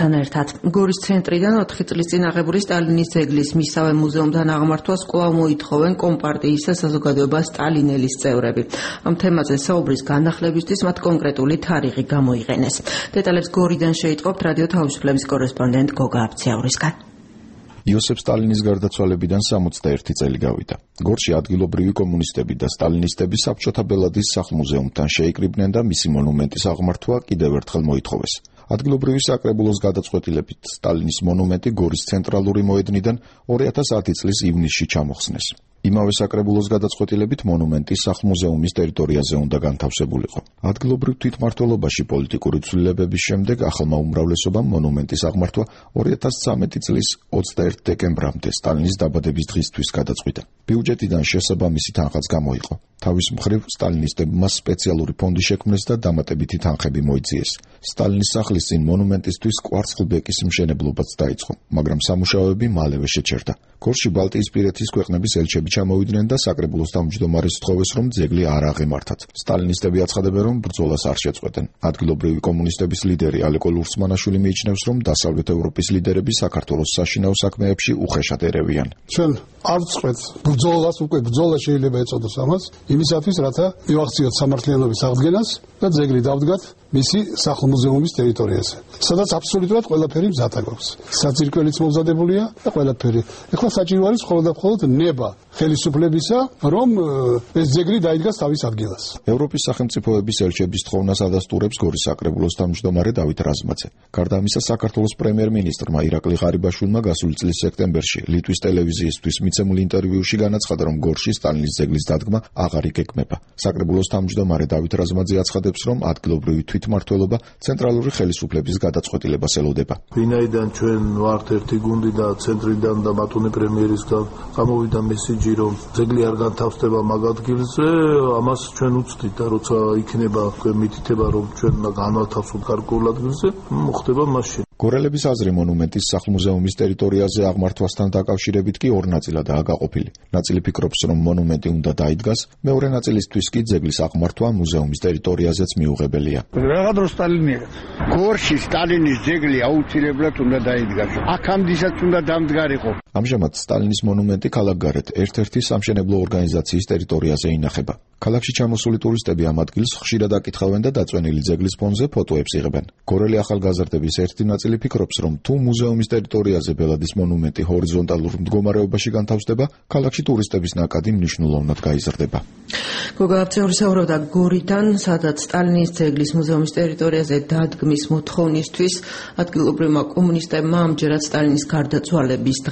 მუსეუმთან ერთად. გორის ცენტრიდან 4 წლის წინ აღებული სტალინის ძეგლის მისავე მუზეუმთან აღმართვას კვლავ მოითხოვენ კომპარტიისა საზოგადოება სტალინელის წევრები. ამ თემაზე საუბრის განახლებისთვის მათ კონკრეტული თარიღი გამოიყენეს. დეტალებს გორიდან შეიტყობთ რადიო თავისუფლების კორესპონდენტ გოგა აბციაურისგან. იოსებ სტალინის გარდაცვალებიდან 61 წელი გავიდა. გორში ადგილობრივი კომუნისტები და სტალინისტები საბჭოთა ბელადის სახლ-მუზეუმთან შეიკრიბნენ და მისი მონუმენტის აღმართვა კიდევ ერთხელ მოითხოვეს. ადგილობრივი საკრებულოს გადაწყვეტილებით სტალინის მონუმენტი გორის ცენტრალური მოედნიდან 2010 წლის ივნისში ჩამოხსნეს. იმავე საკრებულოს გადაწყვეტილებით მონუმენტი სახლ-მუზეუმის ტერიტორიაზე უნდა განთავსებულიყო. ადგილობრივ თვითმმართველობაში პოლიტიკური ცვლილებების შემდეგ ახალმა უმრავლესობამ მონუმენტის აღმართვა 2013 წლის 21 დეკემბრამდე სტალინის დაბადების დღისთვის გადაწყვიტა. ბიუჯეტიდან შესაბამისი თანხაც გამოიყო. თავის მხრივ სტალინისტებმა სპეციალური ფონდი შექმნეს და დამატებითი თანხები მოიძიეს. სტალინის სახლის წინ მონუმენტისთვის კვარცხლბეკის მშენებლობაც დაიწყო, მაგრამ სამუშაოები მალევე შეჩერდა. გორში ბალტიისპირეთის ქვეყნების ელჩები ჩამოვიდნენ და საკრებულოს თავმჯდომარეს სთხოვეს, რომ ძეგლი არ აღემართათ. სტალინისტები აცხადებენ, რომ ბრძოლას არ შეწყვეტენ. ადგილობრივი კომუნისტების ლიდერი ალეკო ლურსმანაშვილი მიიჩნევს, რომ დასავლეთ ევროპის ლიდერები საქართველოს საშინაო საქმეებში უხეშად ერევიან. ჩვენ არ ვწყვეტ ბრძოლას, უკვე ბრძოლა შეიძლება ეწოდოს ამას, იმისათვის, რათა მივახციოთ სამართლიანობის აღდგენას და ძეგლი დავდგათ მისი სახლ-მუზეუმის ტერიტორიაზე, სადაც აბსოლუტურად ყველაფერი მზად აქვს. საძირკველიც მომზადებულია და ყველაფერი. ეხლა საჭირო არის მხოლოდ და მხოლოდ ნება ხელისუფლებისა, რომ ეს ძეგლი დაიდგას თავის ადგილას. ევროპის სახელმწიფოების ელჩების თხოვნას ადასტურებს გორის საკრებულოს თავმჯდომარე დავით რაზმაძე. გარდა ამისა, საქართველოს პრემიერ-მინისტრმა ირაკლი ღარიბაშვილმა გასული წლის სექტემბერში ლიტვის ტელევიზიისთვის მიცემულ ინტერვიუში განაცხადა, რომ გორში სტალინის ძეგლის დადგმა აღარ იგეგმება. საკრებულოს თავმჯდომარე დავით რაზმაძე აცხადებს, რომ ადგილობრივი თვითმმართველობა ცენტრალური ხელისუფლების გადაწყვეტილებას ელოდება. ვინაიდან ჩვენ ვართ ერთი გუნდი და ცენტრიდან და ბატონი პრემიერისგან გამოვიდა მესიჯი, რომ ძეგლი არ განთავსდება მაგ ადგილზე, ამას ჩვენ უცდით და როცა იქნება მითითება, რომ ჩვენ განვათავსოთ გარკვეულ ადგილზე, მოხდება მაშინ. გორელების აზრი მონუმენტის სახლ-მუზეუმის ტერიტორიაზე აღმართვასთან დაკავშირებით კი ორ ნაწილადაა გაყოფილი. ნაწილი ფიქრობს, რომ მონუმენტი უნდა დაიდგას, მეორე ნაწილისთვის კი ძეგლის აღმართვა მუზეუმის ტერიტორიაზეც მიუღებელია. რაღაც დრო სტალინი გორში სტალინის ძეგლი აუცილებლად უნდა დაიდგას. აქამდესაც უნდა დამდგარიყო. ამჟამად სტალინის მონუმენტი ქალაქგარეთ ერთ-ერთი სამშენებლო ორგანიზაციის ტერიტორიაზე ინახება. ქალაქში ჩამოსული ტურისტები ამ ადგილს ხშირად აკითხავენ და დაწვენილი ძეგლის ფონზე ფოტოებს იღებენ. გორელი ახალგაზრდების ერთი ნაწილი ფიქრობს, რომ თუ მუზეუმის ტერიტორიაზე ბელადის მონუმენტი ჰორიზონტალურ მდგომარეობაში განთავსდება, ქალაქში ტურისტების ნაკადი მნიშვნელოვნად გაიზრდება. გოგა აბციაურისაუბრობდა გორიდან, სადაც სტალინის ძეგლის მუზეუმის ტერიტორიაზე დადგმის მოთხოვნისთვის ადგილობრივმა კომუნისტებმა ამჯერად სტალინის გარდაცვალების დღე